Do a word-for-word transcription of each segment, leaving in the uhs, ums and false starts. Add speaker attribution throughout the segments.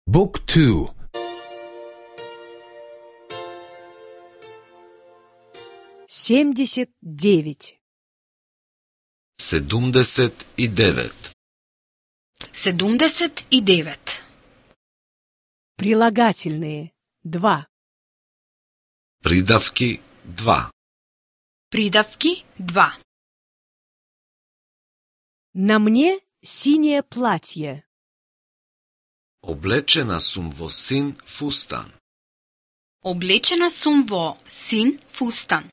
Speaker 1: Book two.
Speaker 2: семьдесят девять.
Speaker 3: седумдесет и девет.
Speaker 4: седумдесет и девет.
Speaker 2: Прилагательные. два.
Speaker 3: Придавки два.
Speaker 4: Придавки два.
Speaker 2: На мне синее платье.
Speaker 3: Облечена сум во син фустан.
Speaker 4: Облечена сум во син фустан.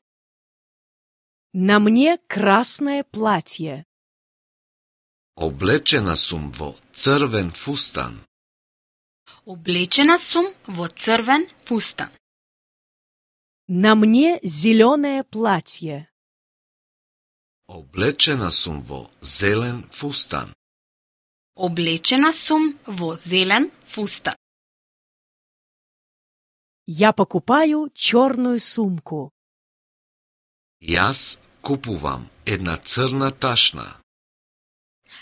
Speaker 2: На мне красное платье.
Speaker 3: Облечена сум во црвен фустан.
Speaker 4: Облечена сум во црвен фустан.
Speaker 2: На мне зеленое платье.
Speaker 3: Облечена сум во зелен фустан.
Speaker 4: Облечена сум во зелен фустан.
Speaker 2: Я покупаю черную сумку.
Speaker 3: Јас купувам една црна ташна.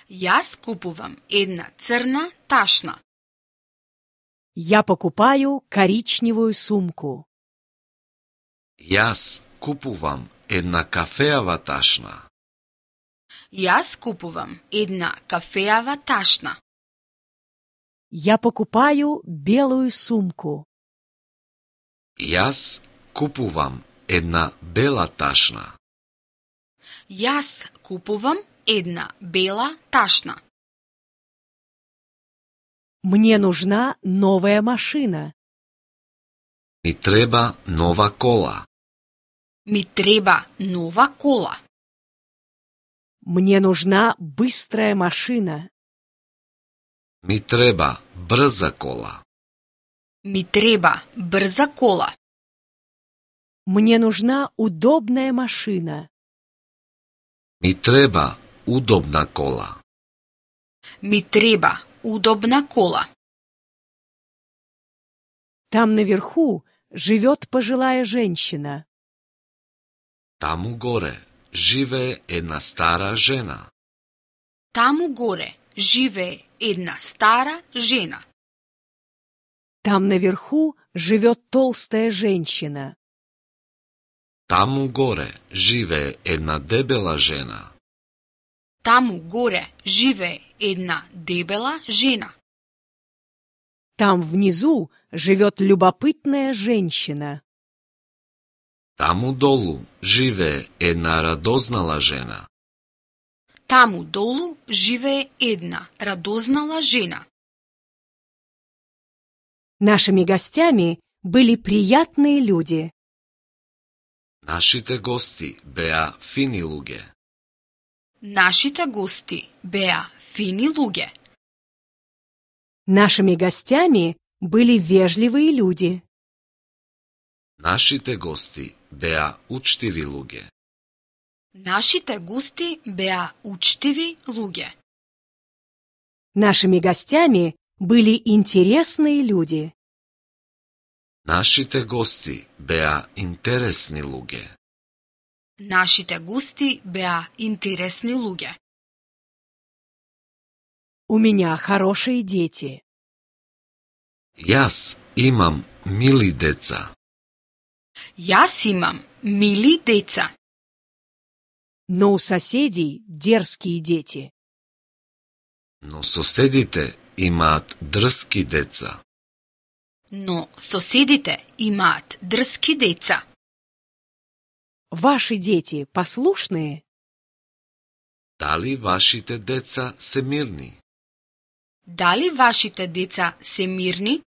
Speaker 4: Јас купувам една црна ташна.
Speaker 2: Я покупаю коричневую сумку.
Speaker 3: Јас купувам една кафеава ташна.
Speaker 4: Јас купувам една кафеава ташна.
Speaker 2: Я покупаю белую сумку.
Speaker 3: Јас купувам една бела ташна.
Speaker 4: Јас купувам една бела ташна.
Speaker 2: Мне нужна новая машина.
Speaker 3: Ми треба нова кола.
Speaker 4: Ми треба нова кола.
Speaker 2: Мне нужна быстрая машина.
Speaker 3: Ми треба брза кола.
Speaker 4: Ми треба брза кола.
Speaker 2: Мне нужна удобная машина.
Speaker 3: Ми треба удобна кола.
Speaker 4: Ми треба удобна кола.
Speaker 2: Там наверху живет пожилая женщина.
Speaker 3: Таму горе живее една стара жена.
Speaker 4: Таму горе живее една стара жена.
Speaker 2: Там наверху живет толстая женщина.
Speaker 3: Таму горе живее една дебела жена.
Speaker 4: Таму горе живее една дебела жена.
Speaker 2: Там внизу живет любопытная женщина.
Speaker 3: Таму долу живее една радознала жена.
Speaker 4: Таму долу живее една радознала жена.
Speaker 2: Нашими гостями были приятные люди.
Speaker 3: Нашите гости беа фини луѓе.
Speaker 4: Нашите гости беа фини луѓе.
Speaker 2: Нашими гостями были вежливые люди.
Speaker 3: Нашите гости беа учтиви луѓе.
Speaker 4: Нашите гости беа учтиви луѓе.
Speaker 2: Нашими гостями были интересные люди.
Speaker 3: Нашите гости беа интересни луѓе.
Speaker 4: Нашите гости беа интересни луѓе.
Speaker 2: У меня хорошие дети.
Speaker 3: Јас имам мили деца.
Speaker 4: Јас имам мили деца.
Speaker 2: Но у соседей дерзкие дети.
Speaker 3: Но соседите имаат дрски деца.
Speaker 4: Но соседите имаат дрски деца.
Speaker 2: Ваши дети послушные?
Speaker 3: Дали вашите деца се мирни?
Speaker 4: Дали вашите деца се мирни?